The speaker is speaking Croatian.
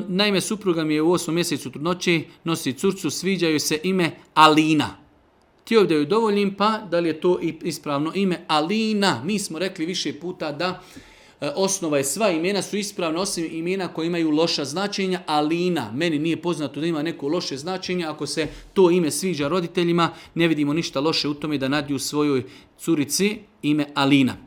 Naime, supruga mi je u 8. mjesecu trudnoće, nosi curcu, sviđa joj se ime Alina. Htio da joj dovoljim, pa da li je to ispravno ime Alina? Mi smo rekli više puta da osnova je sva imena su ispravna, osim imena koje imaju loša značenja. Alina, meni nije poznato da ima neko loše značenje. Ako se to ime sviđa roditeljima, ne vidimo ništa loše u tome da nadiju svojoj curici ime Alina.